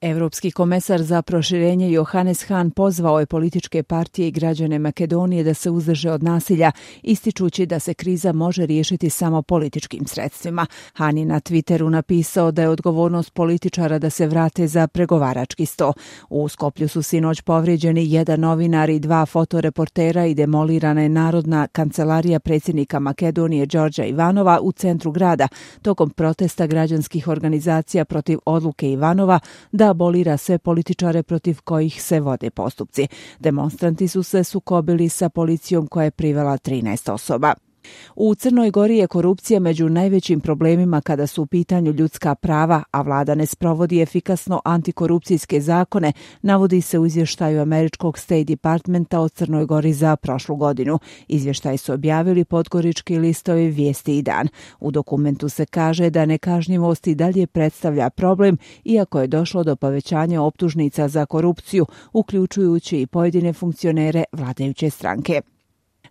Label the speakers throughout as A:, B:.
A: Evropski komesar za proširenje Johannes Hahn pozvao je političke partije i građane Makedonije da se uzdrže od nasilja, ističući da se kriza može riješiti samo političkim sredstvima. Hahn je na Twitteru napisao da je odgovornost političara da se vrate za pregovarački sto. U Skoplju su sinoć povrijeđeni jedan novinar i dva fotoreportera i demolirana je Narodna kancelarija predsjednika Makedonije Đorđa Ivanova u centru grada tokom protesta građanskih organizacija protiv odluke Ivanova da abolira sve političare protiv kojih se vode postupci. Demonstranti su se sukobili sa policijom koja je privela 13 osoba. U Crnoj Gori je korupcija među najvećim problemima kada su u pitanju ljudska prava, a vlada ne sprovodi efikasno antikorupcijske zakone, navodi se u izvještaju američkog State Departmenta o Crnoj Gori za prošlu godinu. Izvještaj su objavili podgorički listovi Vijesti i Dan. U dokumentu se kaže da nekažnjivost i dalje predstavlja problem, iako je došlo do povećanja optužnica za korupciju, uključujući i pojedine funkcionere vladajuće stranke.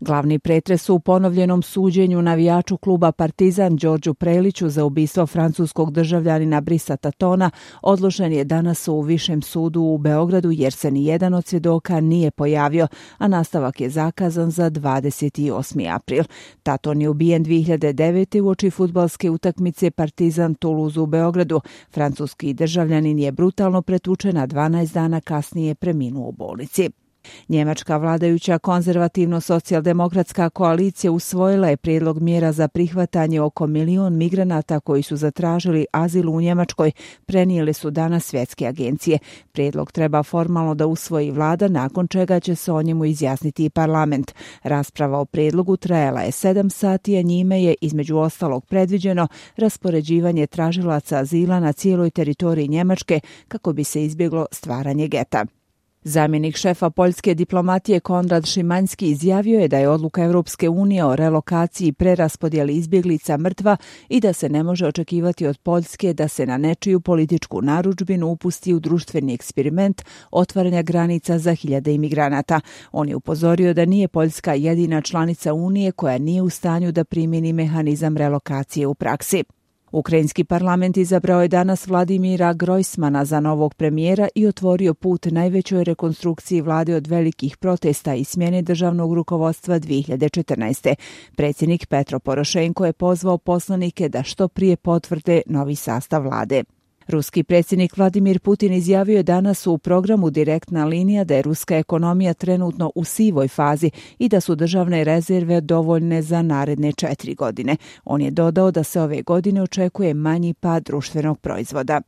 A: Glavni pretres u ponovljenom suđenju navijaču kluba Partizan Đorđu Preliću za ubistvo francuskog državljanina Brisa Tatona odložen je danas u Višem sudu u Beogradu jer se ni jedan od svjedoka nije pojavio, a nastavak je zakazan za 28. april. Taton je ubijen 2009. uoči fudbalske utakmice Partizan Toulouse u Beogradu. Francuski državljanin je brutalno pretučen, a 12 dana kasnije preminuo u bolnici. Njemačka vladajuća konzervativno-socijaldemokratska koalicija usvojila je prijedlog mjera za prihvatanje oko 1 milion migranata koji su zatražili azil u Njemačkoj, prenijele su danas svjetske agencije. Prijedlog treba formalno da usvoji vlada, nakon čega će se o njemu izjasniti i parlament. Rasprava o prijedlogu trajala je 7 sati, a njime je između ostalog predviđeno raspoređivanje tražilaca azila na cijeloj teritoriji Njemačke kako bi se izbjeglo stvaranje geta. Zamjenik šefa poljske diplomatije Konrad Šimanski izjavio je da je odluka Europske unije o relokaciji i preraspodjeli izbjeglica mrtva i da se ne može očekivati od Poljske da se na nečiju političku narudžbinu upusti u društveni eksperiment otvaranja granica za hiljade imigranata. On je upozorio da nije Poljska jedina članica Unije koja nije u stanju da primjeni mehanizam relokacije u praksi. Ukrajinski parlament izabrao je danas Vladimira Grojsmana za novog premijera i otvorio put najvećoj rekonstrukciji vlade od velikih protesta i smjene državnog rukovodstva 2014. Predsjednik Petro Porošenko je pozvao poslanike da što prije potvrde novi sastav vlade. Ruski predsjednik Vladimir Putin izjavio je danas u programu Direktna linija da je ruska ekonomija trenutno u sivoj fazi i da su državne rezerve dovoljne za naredne 4 godine. On je dodao da se ove godine očekuje manji pad društvenog proizvoda.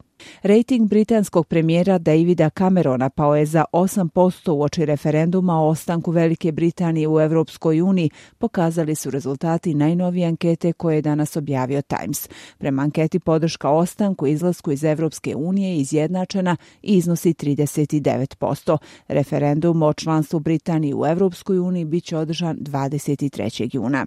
A: Rating britanskog premijera Davida Camerona pao je za 8% uoči referenduma o ostanku Velike Britanije u Europskoj uniji, pokazali su rezultati najnovije ankete koje je danas objavio Times. Prema anketi podrška ostanku i izlasku iz Europske unije je izjednačena i iznosi 39%. Referendum o članstvu Britanije u Europskoj uniji biće održan 23. juna.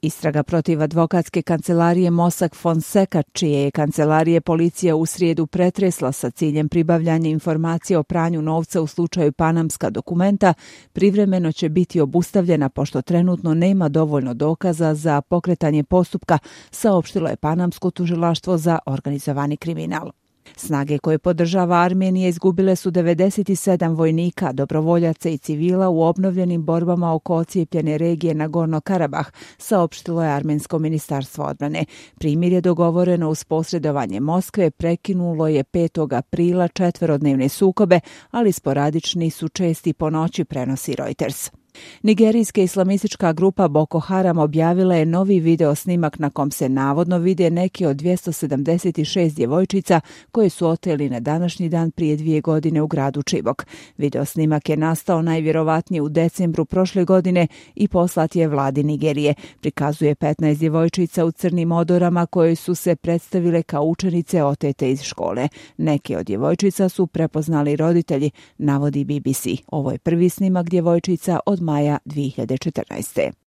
A: Istraga protiv advokatske kancelarije Mossack Fonseca, čije je kancelarije policija u srijedu pretresla sa ciljem pribavljanja informacija o pranju novca u slučaju Panamska dokumenta, privremeno će biti obustavljena pošto trenutno nema dovoljno dokaza za pokretanje postupka, saopštilo je Panamsko tužilaštvo za organizovani kriminal. Snage koje podržava Armenija izgubile su 97 vojnika, dobrovoljaca i civila u obnovljenim borbama oko ocijepljene regije Nagorno-Karabah, saopštilo je Armensko ministarstvo odbrane. Primjer je dogovoreno uz posredovanje Moskve, prekinulo je 5. aprila 4-dnevne sukobe, ali sporadični su česti po noći, prenosi Reuters. Nigerijska islamistička grupa Boko Haram objavila je novi video snimak na kom se navodno vide neki od 276 djevojčica koje su oteli na današnji dan prije 2 godine u gradu Chibok. Video snimak je nastao najvjerovatnije u decembru prošle godine i poslat je vladi Nigerije. Prikazuje 15 djevojčica u crnim odorama koje su se predstavile kao učenice otete iz škole. Neke od djevojčica su prepoznali roditelji, navodi BBC. Ovo je prvi snimak djevojčica od maja 2014.